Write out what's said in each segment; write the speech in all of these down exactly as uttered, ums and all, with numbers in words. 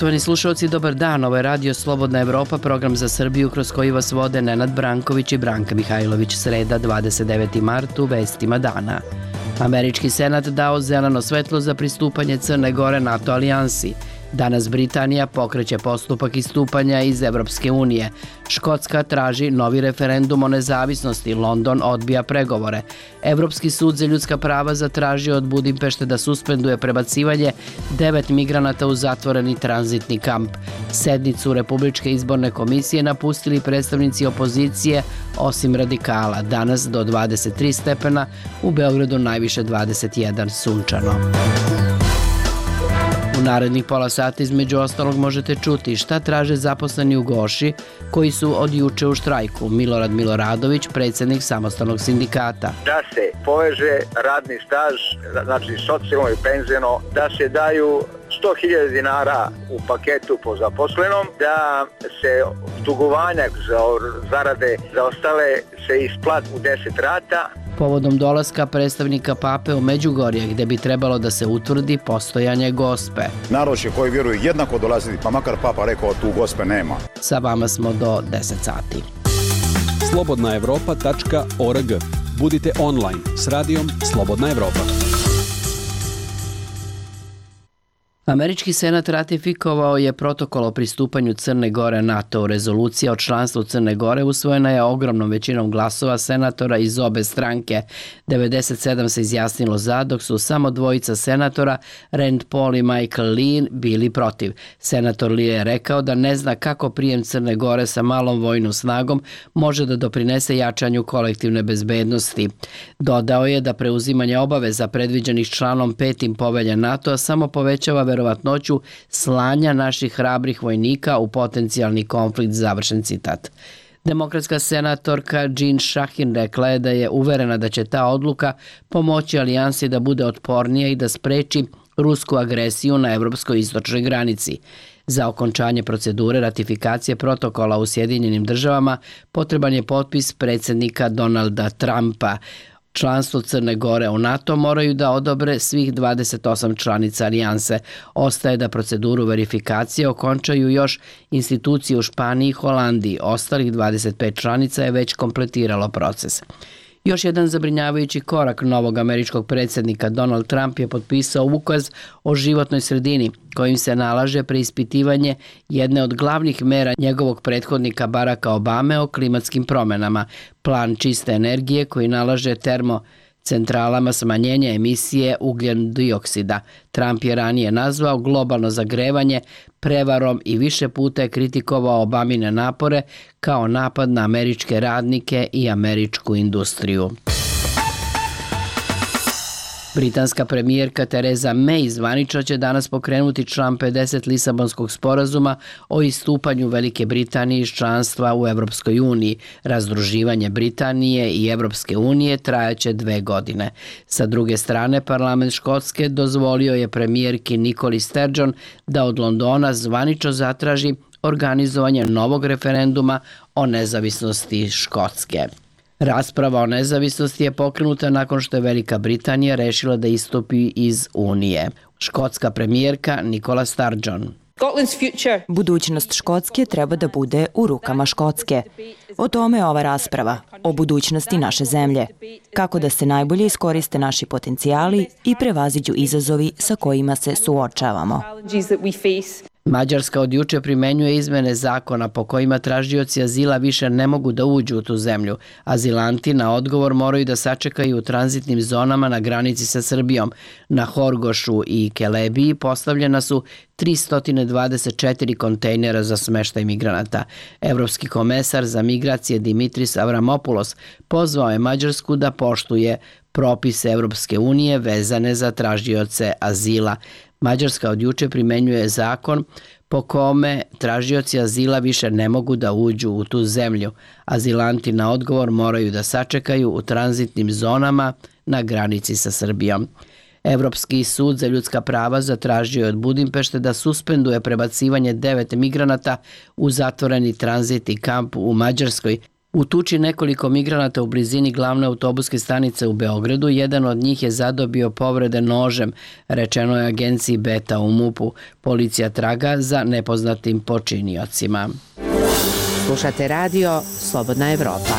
Poštovani slušalci, dobar dan. Ovo je Radio Slobodna Evropa, program za Srbiju kroz koji vas vode Nenad Branković i Branka Mihajlović. Sreda, dvadeset deveti mart, u vestima dana. Američki senat dao zeleno svetlo za pristupanje Crne Gore NATO alijansi. Danas Britanija pokreće postupak istupanja iz Evropske unije. Škotska traži novi referendum o nezavisnosti. London odbija pregovore. Evropski sud za ljudska prava zatražio od Budimpešte da suspenduje prebacivanje devet migranata u zatvoreni tranzitni kamp. Sednicu Republičke izborne komisije napustili predstavnici opozicije, osim radikala. Danas do dvadeset tri stepena, u Beogradu najviše dvadeset jedan, sunčano. U narednih pola sata između ostalog možete čuti šta traže zaposleni u Goši koji su od juče u štrajku. Milorad Miloradović, predsjednik samostalnog sindikata. Da se poveže radni staž, znači socijalno i penzijno, da se daju sto hiljada dinara u paketu po zaposlenom, da se dugovanja za zarade za ostale se isplati u deset rata. Povodom dolaska predstavnika Pape u Međugorje, gde bi trebalo da se utvrdi postojanje gospe. Narod će koji vjeruju jednako dolaziti, pa makar Papa rekao tu gospe nema. Sa vama smo do deset sati. slobodna evropa tačka org. Budite online s radijom Slobodna Evropa. Američki senat ratifikovao je protokol o pristupanju Crne Gore NATO. Rezolucija o članstvu Crne Gore usvojena je ogromnom većinom glasova senatora iz obe stranke. devedeset sedam se izjasnilo za, dok su samo dvojica senatora, Rand Paul i Michael Lee, bili protiv. Senator Lee je rekao da ne zna kako prijem Crne Gore sa malom vojnom snagom može da doprinese jačanju kolektivne bezbednosti. Dodao je da preuzimanje obaveza predviđenih članom petim povelje NATO samo povećava verovatnoću slanja naših hrabrih vojnika u potencijalni konflikt, završen citat. Demokratska senatorka Jean Shaheen rekla je da je uverena da će ta odluka pomoći alijansi da bude otpornija i da spreči rusku agresiju na evropskoj istočnoj granici. Za okončanje procedure ratifikacije protokola u Sjedinjenim državama potreban je potpis predsjednika Donalda Trumpa. Članstvo Crne Gore u NATO moraju da odobre svih dvadeset osam članica alijanse. Ostaje da proceduru verifikacije okončaju još institucije u Španiji i Holandiji. Ostalih dvadeset pet članica je već kompletiralo proces. Još jedan zabrinjavajući korak novog američkog predsjednika Donald Trump je potpisao ukaz o životnoj sredini kojim se nalaže preispitivanje jedne od glavnih mera njegovog prethodnika Baracka Obame o klimatskim promjenama, plan čiste energije koji nalaže termocentralama smanjenje emisije ugljen dioksida. Trump je ranije nazvao globalno zagrevanje prevarom i više puta je kritikovao Obamine napore kao napad na američke radnike i američku industriju. Britanska premijerka Theresa May zvanično će danas pokrenuti član pedeset Lisabonskog sporazuma o istupanju Velike Britanije iz članstva u Evropskoj uniji. Razdruživanje Britanije i Evropske unije trajaće dve godine. Sa druge strane, parlament Škotske dozvolio je premijerki Nicoli Sturgeon da od Londona zvanično zatraži organizovanje novog referenduma o nezavisnosti Škotske. Rasprava o nezavisnosti je pokrenuta nakon što je Velika Britanija rešila da istupi iz Unije. Škotska premijerka Nicola Sturgeon. Budućnost Škotske treba da bude u rukama Škotske. O tome je ova rasprava, o budućnosti naše zemlje. Kako da se najbolje iskoriste naši potencijali i prevaziđu izazovi sa kojima se suočavamo. Mađarska od juče primenjuje izmene zakona po kojima tražioci azila više ne mogu da uđu u tu zemlju. Azilanti na odgovor moraju da sačekaju u tranzitnim zonama na granici sa Srbijom. Na Horgošu i Kelebiji postavljena su tristo dvadeset četiri kontejnera za smeštaj migranata. Evropski komesar za migracije Dimitris Avramopoulos pozvao je Mađarsku da poštuje propise Evropske unije vezane za tražioce azila. Mađarska od juče primenjuje zakon po kome tražioci azila više ne mogu da uđu u tu zemlju. Azilanti na odgovor moraju da sačekaju u tranzitnim zonama na granici sa Srbijom. Evropski sud za ljudska prava zatražio je od Budimpešte da suspenduje prebacivanje devet migranata u zatvoreni tranzitni kamp u Mađarskoj. U tuči nekoliko migranata u blizini glavne autobuske stanice u Beogradu, jedan od njih je zadobio povrede nožem, rečeno je agenciji Beta u MUP-u. Policija traga za nepoznatim počiniocima. Slušate radio Slobodna Evropa.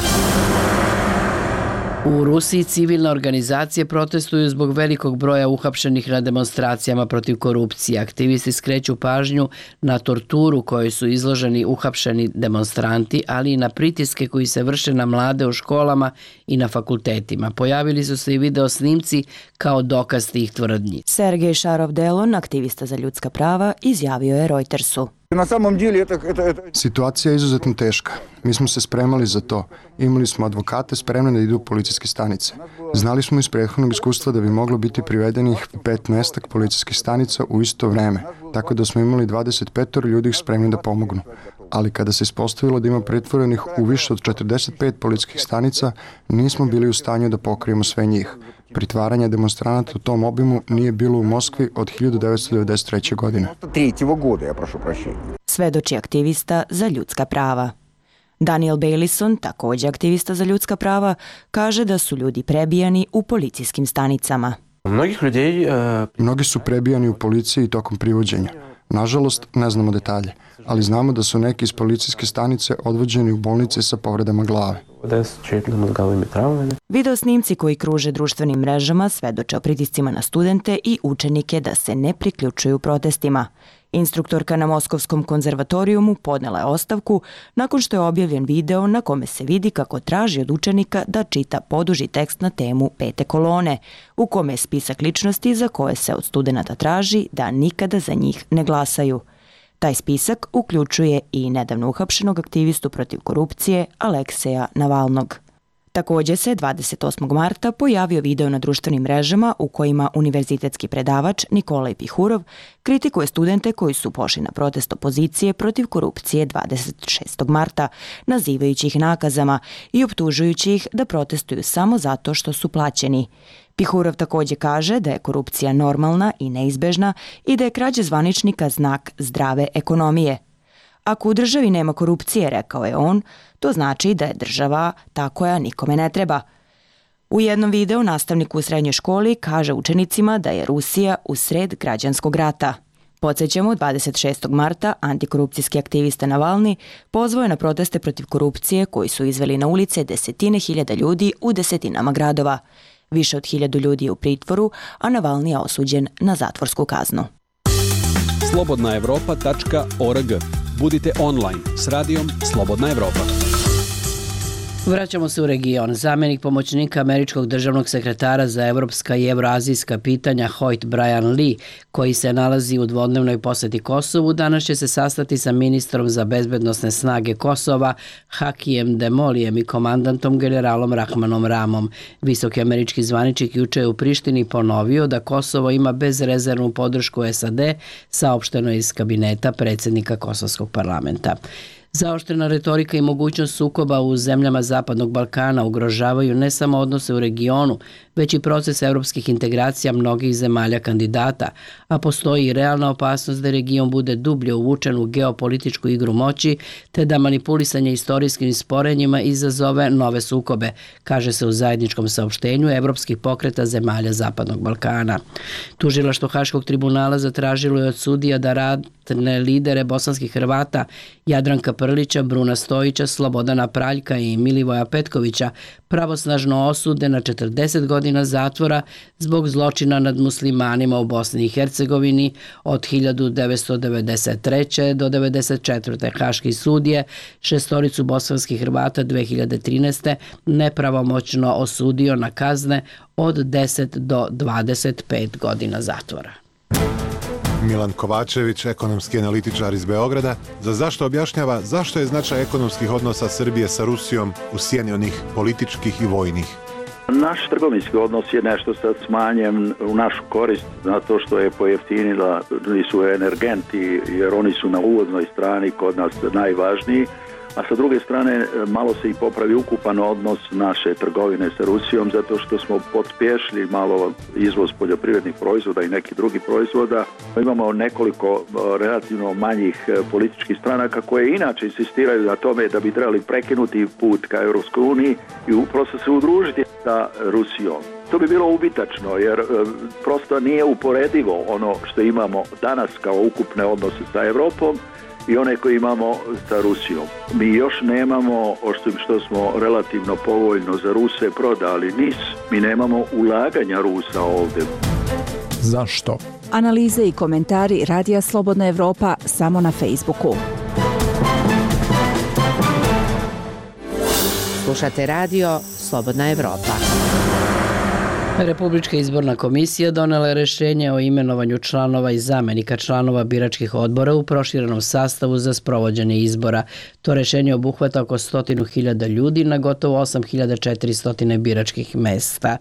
U Rusiji civilne organizacije protestuju zbog velikog broja uhapšenih na demonstracijama protiv korupcije. Aktivisti skreću pažnju na torturu kojoj su izloženi uhapšeni demonstranti, ali i na pritiske koji se vrše na mlade u školama i na fakultetima. Pojavili su se i video snimci kao dokaz tih tvrdnji. Sergej Šarov-Delon, aktivista za ljudska prava, izjavio je Reutersu. Situacija je izuzetno teška. Mi smo se spremali za to. Imali smo advokate spremne da idu u policijske stanice. Znali smo iz prethodnog iskustva da bi moglo biti privedenih petnaestak policijskih stanica u isto vreme, tako da smo imali dvadeset pet ljudi spremni da pomognu. Ali kada se ispostavilo da ima pretvorenih u više od četrdeset pet policijskih stanica, nismo bili u stanju da pokrijemo sve njih. Pritvaranje demonstranata u tom obimu nije bilo u Moskvi od hiljadu devetsto devedeset treće. godine. Svedoči aktivista za ljudska prava. Daniel Bailison, također aktivista za ljudska prava, kaže da su ljudi prebijani u policijskim stanicama. Mnogi su prebijani u policiji tokom privođenja. Nažalost, ne znamo detalje, ali znamo da su neki iz policijske stanice odvođeni u bolnice sa povredama glave. Video snimci koji kruže društvenim mrežama svedoče o pritiscima na studente i učenike da se ne priključuju protestima. Instruktorka na Moskovskom konzervatorijumu podnela je ostavku nakon što je objavljen video na kome se vidi kako traži od učenika da čita poduži tekst na temu pete kolone, u kome je spisak ličnosti za koje se od studenata traži da nikada za njih ne glasaju. Taj spisak uključuje i nedavno uhapšenog aktivistu protiv korupcije Alekseja Navalnog. Također se dvadeset osmog marta pojavio video na društvenim mrežama u kojima univerzitetski predavač Nikolaj Pihurov kritikuje studente koji su pošli na protest opozicije protiv korupcije dvadeset šestog marta, nazivajući ih nakazama i optužujući ih da protestuju samo zato što su plaćeni. Pihurov također kaže da je korupcija normalna i neizbežna i da je krađa zvaničnika znak zdrave ekonomije. Ako u državi nema korupcije, rekao je on, to znači da je država ta koja nikome ne treba. U jednom videu nastavnik u srednjoj školi kaže učenicima da je Rusija u sred građanskog rata. Podsjećamo, dvadeset šestog marta antikorupcijski aktivista Navalni pozvao je na proteste protiv korupcije koji su izveli na ulice desetine hiljada ljudi u desetinama gradova. Više od hiljadu ljudi je u pritvoru, a Navalni je osuđen na zatvorsku kaznu. slobodna evropa tačka org. Budite online s radijom Slobodna Evropa. Vraćamo se u region. Zamjenik pomoćnika američkog državnog sekretara za evropska i evroazijska pitanja Hoyt Brian Lee, koji se nalazi u dvodnevnoj poseti Kosovu, danas će se sastati sa ministrom za bezbednosne snage Kosova Hakijem Demolijem i komandantom generalom Rahmanom Ramom. Visoki američki zvaničnik juče je u Prištini ponovio da Kosovo ima bezrezervnu podršku S A D, saopšteno je iz kabineta predsjednika Kosovskog parlamenta. Zaoštrena retorika i mogućnost sukoba u zemljama Zapadnog Balkana ugrožavaju ne samo odnose u regionu, već i proces evropskih integracija mnogih zemalja kandidata, a postoji i realna opasnost da region bude dublje uvučen u geopolitičku igru moći, te da manipulisanje istorijskim sporenjima izazove nove sukobe, kaže se u zajedničkom saopštenju evropskih pokreta zemalja Zapadnog Balkana. Tužilaštvo Haškog tribunala zatražilo je od sudija da ratne lidere bosanskih Hrvata Jadranka Prlića, Bruna Stojića, Slobodana Praljka i Milivoja Petkovića pravosnažno osude na četrdeset godina zatvora zbog zločina nad muslimanima u Bosni i Hercegovini od hiljadu devetsto devedeset treće. do devedeset četvrte. Haški sud je šestoricu bosanskih Hrvata dve hiljade trinaeste. nepravomoćno osudio na kazne od deset do dvadeset pet godina zatvora. Milan Kovačević, ekonomski analitičar iz Beograda, za zašto objašnjava zašto je značaj ekonomskih odnosa Srbije sa Rusijom u sjeni onih političkih i vojnih. Naš trgovinski odnos je nešto sad smanjen u našu korist zato što je pojeftinila su energenti jer oni su na uvoznoj strani kod nas najvažniji, a sa druge strane malo se i popravi ukupan odnos naše trgovine sa Rusijom, zato što smo pospješili malo izvoz poljoprivrednih proizvoda i nekih drugih proizvoda. Imamo nekoliko relativno manjih političkih stranaka koje inače insistiraju na tome da bi trebali prekinuti put ka Europskoj uniji i upravo se udružiti sa Rusijom. To bi bilo ubitačno jer e, prosto nije uporedivo ono što imamo danas kao ukupne odnose sa Europom i one koje imamo sa Rusijom. Mi još nemamo, osim što smo relativno povoljno za Ruse prodali N I S, mi nemamo ulaganja Rusa ovdje. Zašto? Analize i komentari Radija Slobodna Evropa samo na Facebooku. Slušate radio Slobodna Evropa. Republička izborna komisija donela je rešenje o imenovanju članova i zamenika članova biračkih odbora u proširenom sastavu za sprovođenje izbora. To rešenje obuhvata oko stotinu hiljada ljudi na gotovo osam hiljada četiristo biračkih mesta.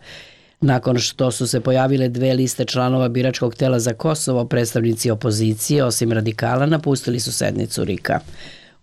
Nakon što su se pojavile dve liste članova biračkog tela za Kosovo, predstavnici opozicije, osim radikala, napustili su sednicu RIK-a.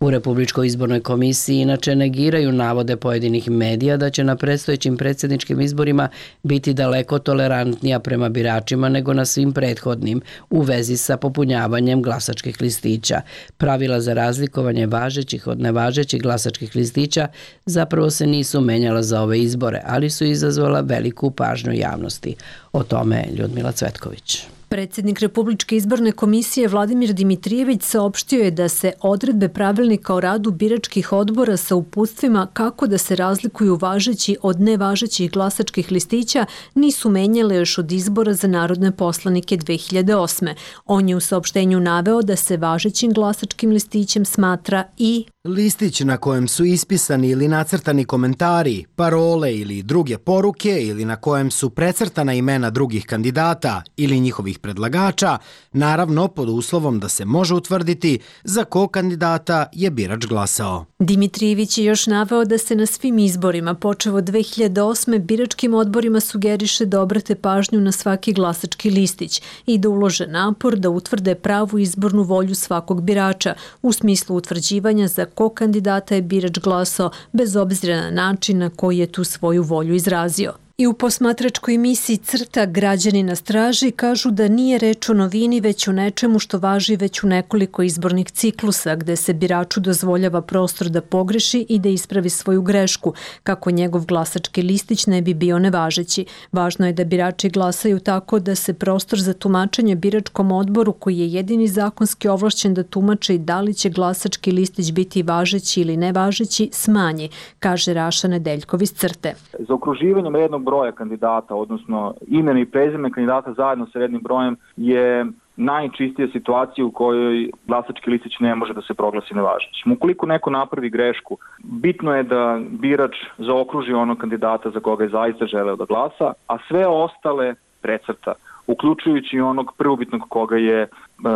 U Republičkoj izbornoj komisiji inače negiraju navode pojedinih medija da će na predstojećim predsjedničkim izborima biti daleko tolerantnija prema biračima nego na svim prethodnim u vezi sa popunjavanjem glasačkih listića. Pravila za razlikovanje važećih od nevažećih glasačkih listića zapravo se nisu menjala za ove izbore, ali su izazvala veliku pažnju javnosti. O tome Ljudmila Cvetković. Predsjednik Republičke izborne komisije Vladimir Dimitrijević saopštio je da se odredbe pravilnika o radu biračkih odbora sa uputstvima kako da se razlikuju važeći od nevažećih glasačkih listića nisu menjale još od izbora za narodne poslanike dve hiljade osme. On je u saopštenju naveo da se važećim glasačkim listićem smatra i listić na kojem su ispisani ili nacrtani komentari, parole ili druge poruke ili na kojem su precrtana imena drugih kandidata ili njihovih predlagača, naravno pod uslovom da se može utvrditi za kog kandidata je birač glasao. Dimitrijević je još naveo da se na svim izborima, počev od dve hiljade osme, biračkim odborima sugeriše da obrate pažnju na svaki glasački listić i da ulože napor da utvrde pravu izbornu volju svakog birača u smislu utvrđivanja za kog kandidata je birač glasao bez obzira na način na koji je tu svoju volju izrazio. I u posmatračkoj emisiji Crta Građani na straži kažu da nije reč o novini već o nečemu što važi već u nekoliko izbornih ciklusa gde se biraču dozvoljava prostor da pogreši i da ispravi svoju grešku kako njegov glasački listić ne bi bio nevažeći. Važno je da birači glasaju tako da se prostor za tumačenje biračkom odboru koji je jedini zakonski ovlašćen da tumače i da li će glasački listić biti važeći ili nevažeći smanji, kaže Raša Nedeljkov iz Crte. Za okruživanjem jednog broja kandidata, odnosno ime i prezime kandidata zajedno sa rednim brojem je najčistija situacija u kojoj glasački listić ne može da se proglasi nevažećim. Ukoliko neko napravi grešku, bitno je da birač zaokruži onog kandidata za koga je zaista želeo da glasa, a sve ostale precrta, uključujući onog prvobitnog koga je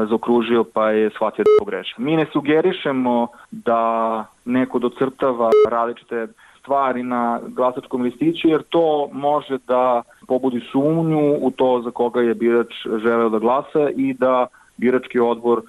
zaokružio pa je shvatio da je pogrešio. Mi ne sugerišemo da neko docrtava različite stvari na glasačkom listiću, jer to može da pobudi sumnju u to za koga je birač želeo da glasa i da birački odbor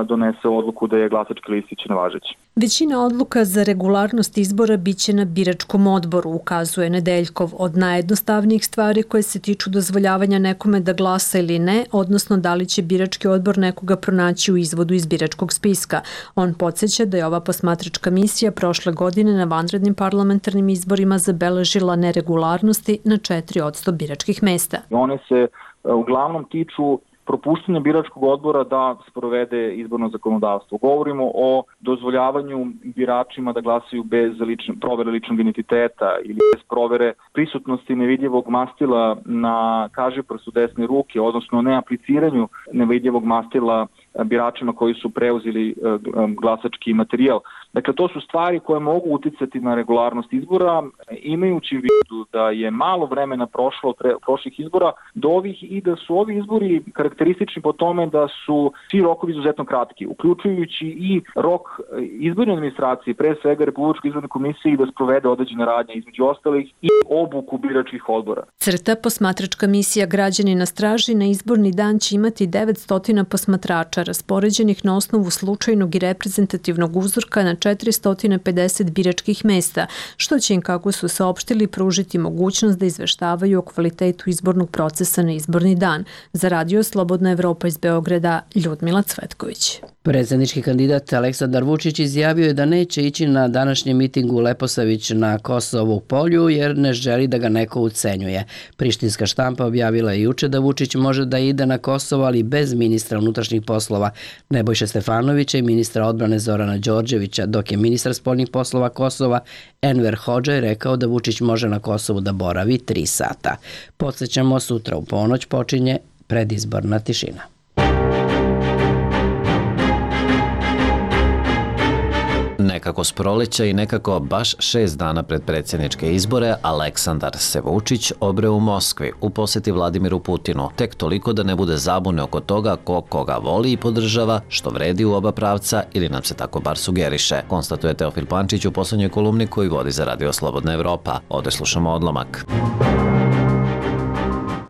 donese odluku da je glasački listić nevažeći. Većina odluka za regularnost izbora biće na biračkom odboru, ukazuje Nedeljkov. Od najjednostavnijih stvari koje se tiču dozvoljavanja nekome da glasa ili ne, odnosno da li će birački odbor nekoga pronaći u izvodu iz biračkog spiska. On podsjeća da je ova posmatračka misija prošle godine na vanrednim parlamentarnim izborima zabeležila neregularnosti na četiri posto biračkih mesta. One se uglavnom tiču propuštanje biračkog odbora da sprovede izborno zakonodavstvo. Govorimo o dozvoljavanju biračima da glasaju bez lične, provere ličnog identiteta ili bez provere prisutnosti nevidljivog mastila na kažiprstu desne ruke, odnosno neapliciranju nevidljivog mastila biračima koji su preuzeli glasački materijal. Dakle, to su stvari koje mogu uticati na regularnost izbora, imajući u vidu da je malo vremena prošlo od prošlih izbora do ovih i da su ovi izbori karakteristični po tome da su svi rokovi izuzetno kratki, uključujući i rok izborne administracije, pre svega Republičke izborne komisije, da sprovede određene radnje, između ostalih i obuku biračkih odbora. Crta, posmatračka misija Građani na straži, na izborni dan će imati devetsto posmatrača. birača raspoređenih na osnovu slučajnog i reprezentativnog uzorka na četiristo pedeset biračkih mesta, što će im, kako su saopštili, pružiti mogućnost da izveštavaju o kvalitetu izbornog procesa na izborni dan. Za Radio Slobodna Evropa iz Beograda, Ljudmila Cvetković. Predsjednički kandidat Aleksandar Vučić izjavio je da neće ići na današnji miting u Leposavić na Kosovu polju jer ne želi da ga neko ucenjuje. Prištinska štampa objavila je juče da Vučić može da ide na Kosovo, ali bez ministra unutrašnjih poslova Nebojše Stefanovića i ministra odbrane Zorana Đorđevića, dok je ministar spoljnih poslova Kosova Enver Hodžaj rekao da Vučić može na Kosovu da boravi tri sata. Podsjećamo, sutra u ponoć počinje predizborna tišina. Nekako s proleća i nekako baš šest dana pred predsjedničke izbore, Aleksandar se Vučić obre u Moskvi u posjeti Vladimiru Putinu, tek toliko da ne bude zabune oko toga ko koga voli i podržava, što vredi u oba pravca ili nam se tako bar sugeriše, konstatuje Teofil Pančić u poslednjoj kolumni koju vodi za Radio Slobodna Evropa. Ovde slušamo odlomak.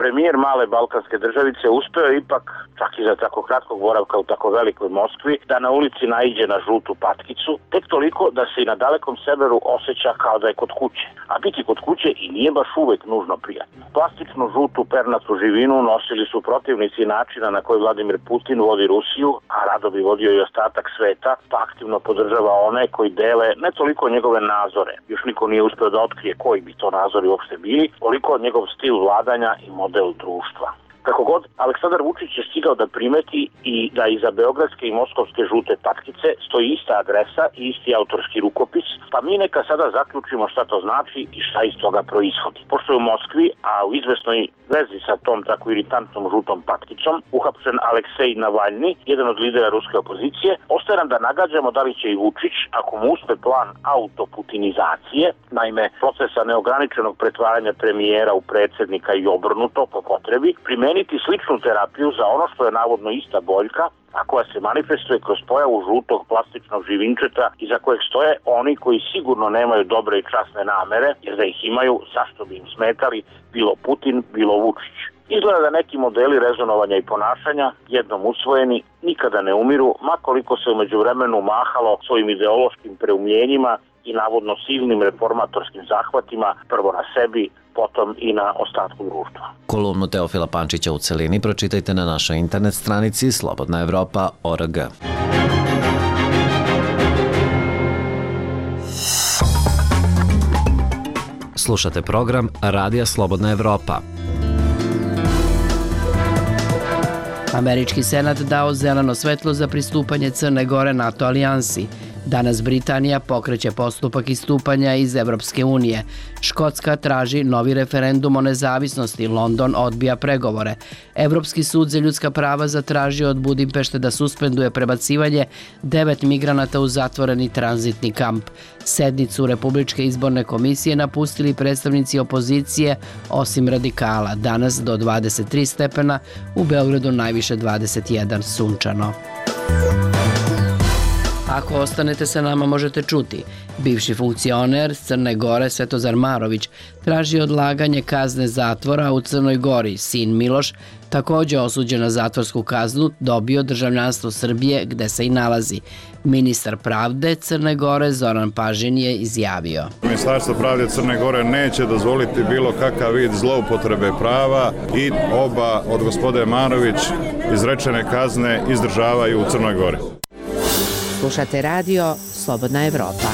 Premijer male balkanske državice uspeo ipak, čak i za tako kratkog boravka u tako velikoj Moskvi, da na ulici naiđe na žutu patkicu, tek toliko da se i na dalekom severu osjeća kao da je kod kuće. A biti kod kuće i nije baš uvek nužno prijatno. Plastičnu žutu pernatu živinu nosili su protivnici načina na koji Vladimir Putin vodi Rusiju, a rado bi vodio i ostatak sveta, pa aktivno podržava one koji dele ne toliko njegove nazore, još niko nije uspeo da otkrije koji bi to nazori uopšte bili, koliko njegov stil vladanja i model društva. Kako god, Aleksandar Vučić je stigao da primeti i da iza beogradske i moskovske žute patkice stoji ista adresa i isti autorski rukopis, pa mi neka sada zaključimo šta to znači i šta iz toga proishodi. Pošto je u Moskvi, a u izvesnoj vezi sa tom tako iritantnom žutom patkicom, uhapšen Aleksej Navalni, jedan od lidera ruske opozicije, ostaje nam da nagađamo da li će i Vučić, ako mu uspe plan autoputinizacije, naime procesa neograničenog pretvaranja premijera u predsjednika i obrnuto po potrebi, primeniti sličnu terapiju za ono što je navodno ista boljka, a koja se manifestuje kroz pojavu žutog plastičnog živinčeta iza kojeg stoje oni koji sigurno nemaju dobre i časne namere, jer da ih imaju, zašto bi im smetali, bilo Putin, bilo Vučić. Izgleda da neki modeli rezonovanja i ponašanja, jednom usvojeni, nikada ne umiru, makoliko se umeđu vremenu mahalo svojim ideološkim preumljenjima i navodno silnim reformatorskim zahvatima, prvo na sebi, potom i na ostatku društva. Kolumnu Teofila Pančića u celini pročitajte na našoj internet stranici slobodna evropa tačka org. Slušate program Radija Slobodna Evropa. Američki senat dao zeleno svetlo za pristupanje Crne Gore NATO alijansi. Danas Britanija pokreće postupak istupanja iz Evropske unije. Škotska traži novi referendum o nezavisnosti, London odbija pregovore. Evropski sud za ljudska prava zatražio od Budimpešte da suspenduje prebacivanje devet migranata u zatvoreni tranzitni kamp. Sednicu Republičke izborne komisije napustili predstavnici opozicije, osim radikala. Danas do dvadeset tri stepena, u Beogradu najviše dvadeset jedan, sunčano. Ako ostanete sa nama možete čuti. Bivši funkcioner Crne Gore Svetozar Marović traži odlaganje kazne zatvora u Crnoj Gori. Sin Miloš, takođe osuđen na zatvorsku kaznu, dobio državljanstvo Srbije gde se i nalazi. Ministar pravde Crne Gore Zoran Pažin je izjavio: Ministarstvo pravde Crne Gore neće dozvoliti bilo kakav vid zloupotrebe prava i oba od gospode Marović izrečene kazne izdržavaju u Crnoj Gori. Slušate radio Slobodna Evropa.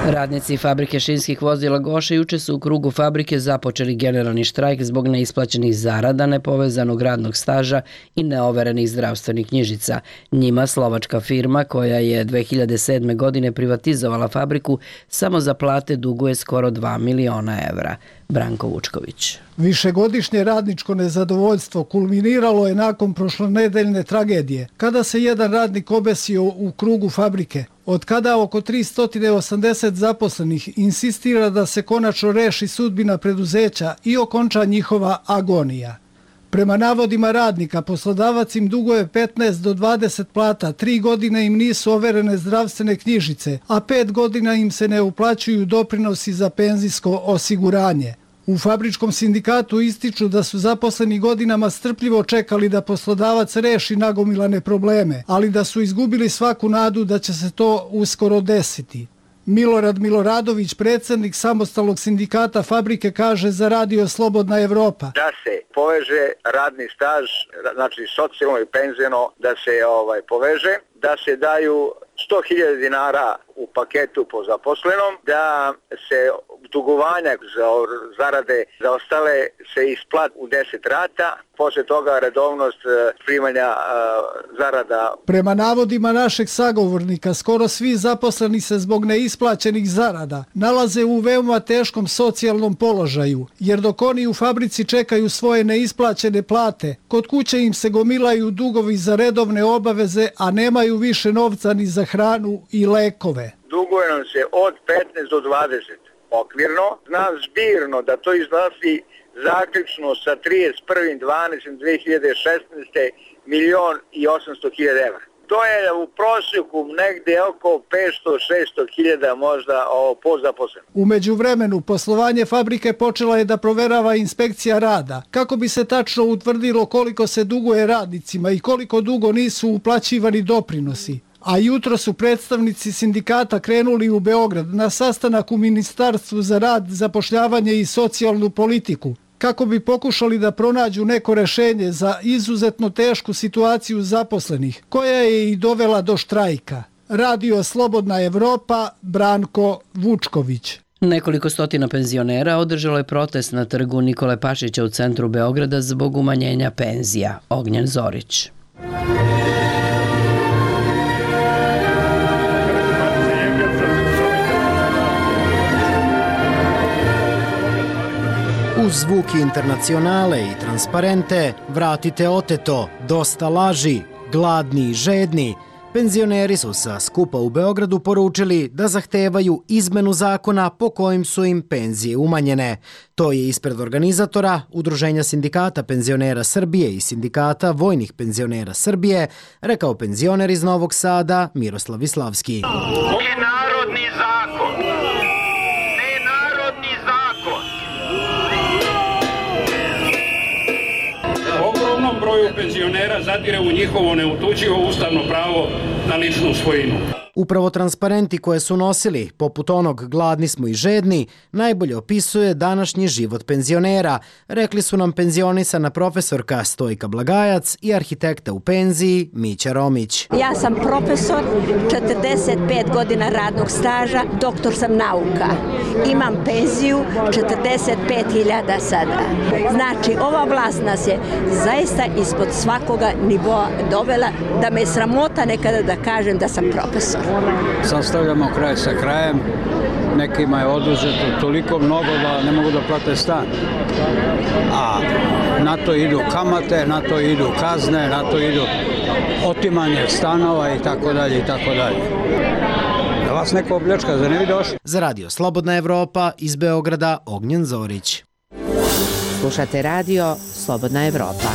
Radnici fabrike šinskih vozila Goša juče su u krugu fabrike započeli generalni štrajk zbog neisplaćenih zarada, nepovezanog radnog staža i neoverenih zdravstvenih knjižica. Njima slovačka firma, koja je dve hiljade sedme. godine privatizovala fabriku, samo za plate duguje skoro dva miliona evra. Branko Vučković. Višegodišnje radničko nezadovoljstvo kulminiralo je nakon prošlonedeljne tragedije, kada se jedan radnik obesio u krugu fabrike. Od kada oko tristo osamdeset zaposlenih insistira da se konačno reši sudbina preduzeća i okonča njihova agonija. Prema navodima radnika, poslodavac im duguje petnaest do dvadeset plata, tri godine im nisu overene zdravstvene knjižice, a pet godina im se ne uplaćuju doprinosi za penzijsko osiguranje. U fabričkom sindikatu ističu da su zaposleni godinama strpljivo čekali da poslodavac reši nagomilane probleme, ali da su izgubili svaku nadu da će se to uskoro desiti. Milorad Miloradović, predsjednik samostalnog sindikata fabrike, kaže za Radio Slobodna Evropa: da se poveže radni staž, znači socijalno i penzijno, da se ovaj poveže, da se daju sto hiljada dinara u paketu po zaposlenom, da se dugovanja za zarade za ostale se isplat u deset rata, posle toga redovnost primanja zarada. Prema navodima našeg sagovornika, skoro svi zaposleni se zbog neisplaćenih zarada nalaze u veoma teškom socijalnom položaju, jer dok oni u fabrici čekaju svoje neisplaćene plate, kod kuće im se gomilaju dugovi za redovne obaveze, a nemaju više novca ni za hranu i lekove. Duguje nam se od petnaest do dvadeset okvirno, znam zbirno da to iznosi zaključno sa trideset prvog decembra dve hiljade šesnaeste. milion i osamsto hiljada evra. To je u prosjeku negde oko petsto do šesto hiljada možda po zaposlenom. U međuvremenu poslovanje fabrike počela je da proverava inspekcija rada, kako bi se tačno utvrdilo koliko se duguje radnicima i koliko dugo nisu uplaćivani doprinosi. A jutro su predstavnici sindikata krenuli u Beograd na sastanak u Ministarstvu za rad, zapošljavanje i socijalnu politiku, kako bi pokušali da pronađu neko rešenje za izuzetno tešku situaciju zaposlenih, koja je i dovela do štrajka. Radio Slobodna Evropa, Branko Vučković. Nekoliko stotina penzionera održalo je protest na trgu Nikole Pašića u centru Beograda zbog umanjenja penzija. Ognjen Zorić. Uz zvuki Internacionale i transparente Vratite oteto, dosta laži, gladni i žedni, penzioneri su sa skupa u Beogradu poručili da zahtevaju izmenu zakona po kojim su im penzije umanjene. To je ispred organizatora Udruženja sindikata penzionera Srbije i sindikata vojnih penzionera Srbije rekao penzioner iz Novog Sada Miroslav Islavski. Ovo je narodni zakon. Ne narodni zakon. Ogromnom broju penzionera zadire u njihovo neutučivo ustavno pravo na ličnu svojinu. Upravo transparenti koje su nosili, poput onog gladni smo i žedni, najbolje opisuje današnji život penzionera, rekli su nam penzionisana profesorka Stojka Blagajac i arhitekta u penziji Mića Romić. Ja sam profesor, četrdeset pet godina radnog staža, doktor sam nauka. Imam penziju četrdeset pet hiljada sada. Znači, ova vlast nas je zaista ispod svakoga nivoa dovela da me sramota nekada da kažem da sam profesor. Sastavljamo kraj sa krajem, nekima je oduzeto toliko mnogo da ne mogu da plate stan. A na to idu kamate, na to idu kazne, na to idu otimanje stanova i tako dalje i tako dalje. Da vas neko opljačka, za ne bi došli? Za Radio Slobodna Evropa iz Beograda Ognjen Zorić. Slušate Radio Slobodna Evropa.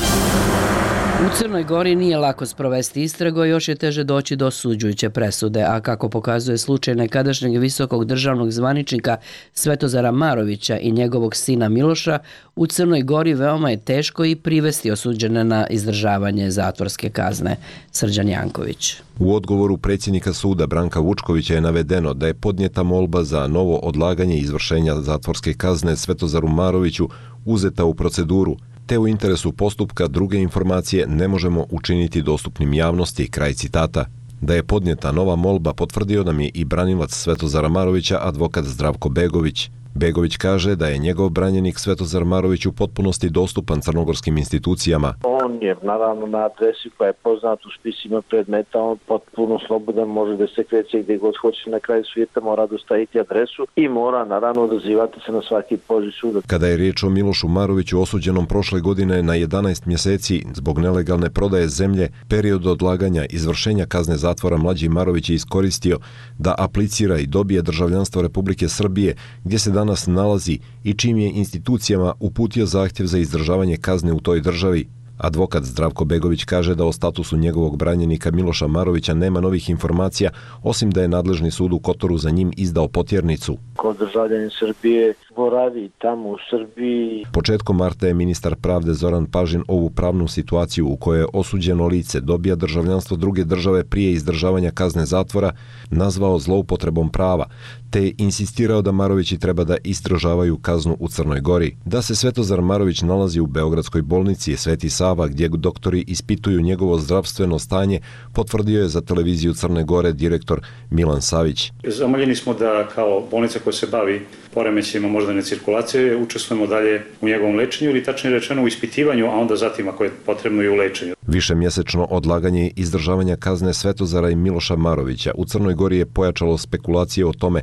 U Crnoj Gori nije lako sprovesti istragu, još je teže doći do osuđujuće presude, a kako pokazuje slučaj nekadašnjeg visokog državnog zvaničnika Svetozara Marovića i njegovog sina Miloša, u Crnoj Gori veoma je teško i privesti osuđene na izdržavanje zatvorske kazne. Srđan Janković. U odgovoru predsjednika suda Branka Vučkovića je navedeno da je podnijeta molba za novo odlaganje izvršenja zatvorske kazne Svetozaru Maroviću uzeta u proceduru, te u interesu postupka druge informacije ne možemo učiniti dostupnim javnosti, kraj citata. Da je podnijeta nova molba potvrdio nam je i branilac Svetozara Marovića, advokat Zdravko Begović. Begović kaže da je njegov branjenik Svetozar Marović u potpunosti dostupan crnogorskim institucijama. On je naravno na adresi koja je poznat u spisima predmeta, on potpuno slobodan, može da se kreće gdje god hoće na kraju svijeta, mora dostaviti adresu i mora naravno odazivati se na svaki poziv suda. Kada je riječ o Milošu Maroviću osuđenom prošle godine na jedanaest mjeseci zbog nelegalne prodaje zemlje, period odlaganja izvršenja kazne zatvora mlađi Marović je iskoristio da aplicira i dobije državljanstvo Republike Srbije, gdje se danas nalazi i čim je institucijama uputio zahtjev za izdržavanje kazne u toj državi. Advokat Zdravko Begović kaže da o statusu njegovog branjenika Miloša Marovića nema novih informacija, osim da je nadležni sud u Kotoru za njim izdao potjernicu. Ko državljanin Srbije boravi tamo u Srbiji. Početkom marta je ministar pravde Zoran Pažin ovu pravnu situaciju u kojoj osuđeno lice dobija državljanstvo druge države prije izdržavanja kazne zatvora nazvao zloupotrebom prava, te je insistirao da Marovići treba da izdržavaju kaznu u Crnoj Gori. Da se Svetozar Marović nalazi u Beogradskoj bolnici Sveti Sava, gdje doktori ispituju njegovo zdravstveno stanje, potvrdio je za televiziju Crne Gore direktor Milan Savić. Zamoljeni smo da kao bolnica koja se bavi poremećajima moždane cirkulacije učestvujemo dalje u njegovom lečenju ili tačnije rečeno u ispitivanju, a onda zatim ako je potrebno i u lečenju. Višemjesečno odlaganje izdržavanja kazne Svetozara i Miloša Marovića u Crnoj Gori je pojačalo spekulacije o tome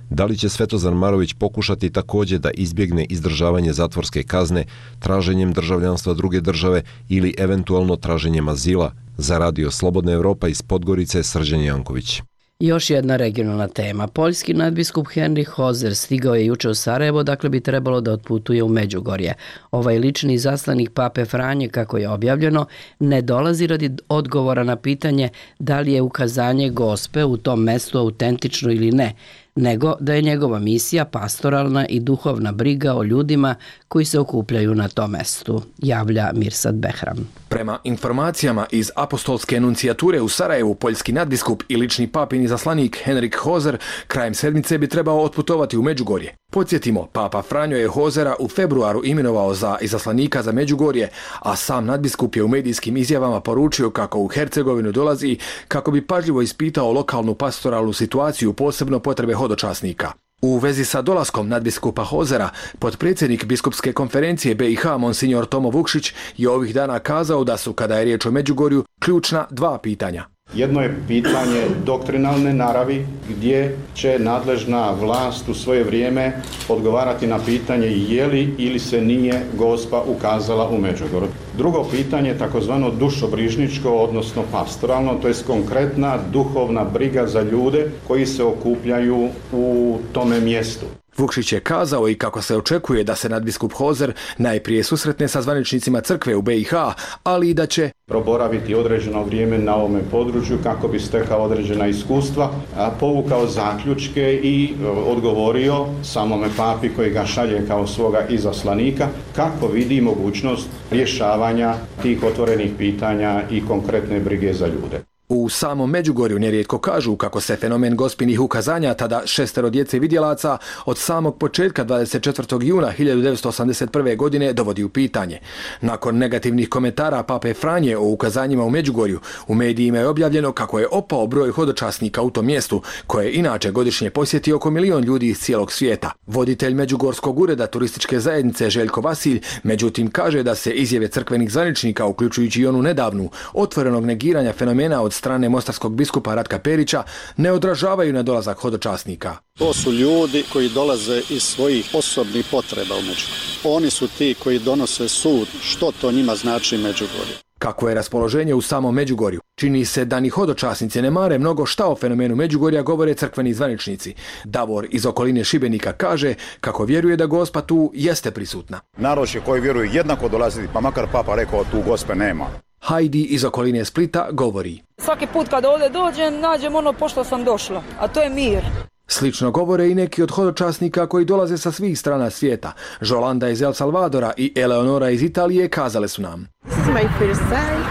da li će Svetozar Marović pokušati također da izbjegne izdržavanje zatvorske kazne traženjem državljanstva druge države ili eventualno traženjem azila. Za Radio Slobodna Evropa iz Podgorice, Srđan Janković. Još jedna regionalna tema. Poljski nadbiskup Henrik Hozer stigao je juče u Sarajevo, dakle bi trebalo da otputuje u Međugorje. Ovaj lični izaslanik pape Franje, kako je objavljeno, ne dolazi radi odgovora na pitanje da li je ukazanje gospe u tom mestu autentično ili ne, nego da je njegova misija pastoralna i duhovna briga o ljudima koji se okupljaju na tom mestu, javlja Mirsad Behram. Prema informacijama iz apostolske enuncijature u Sarajevu, poljski nadbiskup i lični papin izaslanik Henrik Hozer krajem sedmice bi trebao otputovati u Međugorje. Podsjetimo, papa Franjo je Hozera u februaru imenovao za izaslanika za Međugorje, a sam nadbiskup je u medijskim izjavama poručio kako u Hercegovinu dolazi kako bi pažljivo ispitao lokalnu pastoralnu situaciju, posebno potrebe hodočasnika. U vezi sa dolaskom nadbiskupa Hozera, potpredsjednik biskupske konferencije B i H Monsignor Tomo Vukšić je ovih dana kazao da su, kada je riječ o Međugorju, ključna dva pitanja. Jedno je pitanje doktrinalne naravi, gdje će nadležna vlast u svoje vrijeme odgovarati na pitanje je li ili se nije Gospa ukazala u Međugorju. Drugo pitanje je takozvano dušobrižničko, odnosno pastoralno, to je konkretna duhovna briga za ljude koji se okupljaju u tome mjestu. Vukšić je kazao i kako se očekuje da se nadbiskup Hozer najprije susretne sa zvaničnicima crkve u B i H, ali i da će proboraviti određeno vrijeme na ovome području kako bi stekao određena iskustva, povukao zaključke i odgovorio samome papi koji ga šalje kao svoga izaslanika kako vidi mogućnost rješavanja tih otvorenih pitanja i konkretne brige za ljude. U samom Međugorju nerijetko kažu kako se fenomen gospinih ukazanja, tada šestero djece vidjelaca, od samog početka dvadeset četvrtog juna hiljadu devetsto osamdeset prve. godine dovodi u pitanje. Nakon negativnih komentara pape Franje o ukazanjima u Međugorju, u medijima je objavljeno kako je opao broj hodočasnika u tom mjestu, koje inače godišnje posjeti oko milion ljudi iz cijelog svijeta. Voditelj Međugorskog ureda turističke zajednice Željko Vasilj, međutim, kaže da se izjave crkvenih zvaničnika, uključujući i onu nedavnu, otvorenog negiranja fenomena od strane mostarskog biskupa Ratka Perića, ne odražavaju na dolazak hodočasnika. To su ljudi koji dolaze iz svojih osobnih potreba u Međugorju. Oni su ti koji donose sud što to njima znači Međugorje. Kako je raspoloženje u samom Međugorju? Čini se da ni hodočasnici ne mare mnogo šta o fenomenu Međugorja, govore crkveni zvaničnici. Davor iz okoline Šibenika kaže kako vjeruje da Gospa tu jeste prisutna. Narod će koji vjeruju jednako dolaziti, pa makar papa rekao tu Gospe nema. Hajdi iz okoline Splita govori. Svaki put kad ovdje dođem, nađem ono pošto sam došla, a to je mir. Slično govore i neki od hodočasnika koji dolaze sa svih strana svijeta. Žolanda iz El Salvadora i Eleonora iz Italije kazale su nam: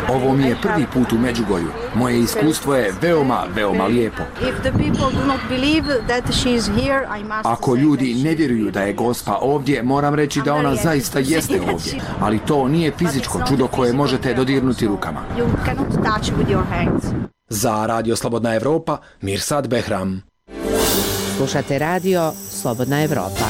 ovo mi je prvi put u Međugorju. Moje iskustvo je veoma, veoma lijepo. Ako ljudi ne vjeruju da je Gospa ovdje, moram reći da ona zaista jeste ovdje. Ali to nije fizičko čudo koje možete dodirnuti rukama. Za Radio Slobodna Evropa, Mirsad Behram. Slušate Radio Slobodna Evropa.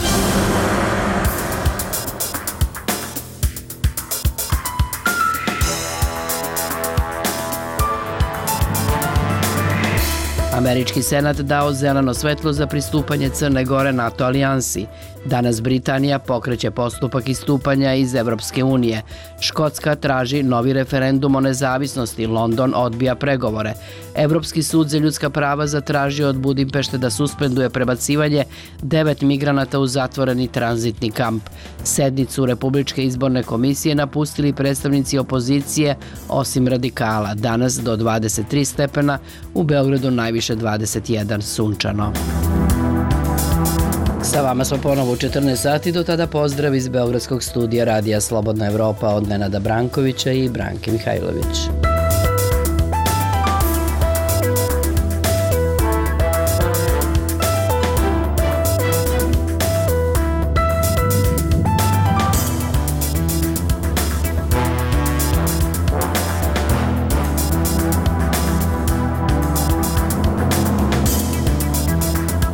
Američki senat dao zeleno svetlo za pristupanje Crne Gore NATO alijansi. Danas Britanija pokreće postupak istupanja iz Evropske unije. Škotska traži novi referendum o nezavisnosti, London odbija pregovore. Evropski sud za ljudska prava zatražio od Budimpešte da suspenduje prebacivanje devet migranata u zatvoreni tranzitni kamp. Sednicu Republičke izborne komisije napustili predstavnici opozicije, osim radikala. Danas do dvadeset tri stepena, u Beogradu najviše dvadeset jedan, sunčano. Sa vama smo ponovo u četrnaest sati, do tada pozdrav iz Beogradskog studija Radija Slobodna Evropa od Nenada Brankovića i Branke Mihajlović.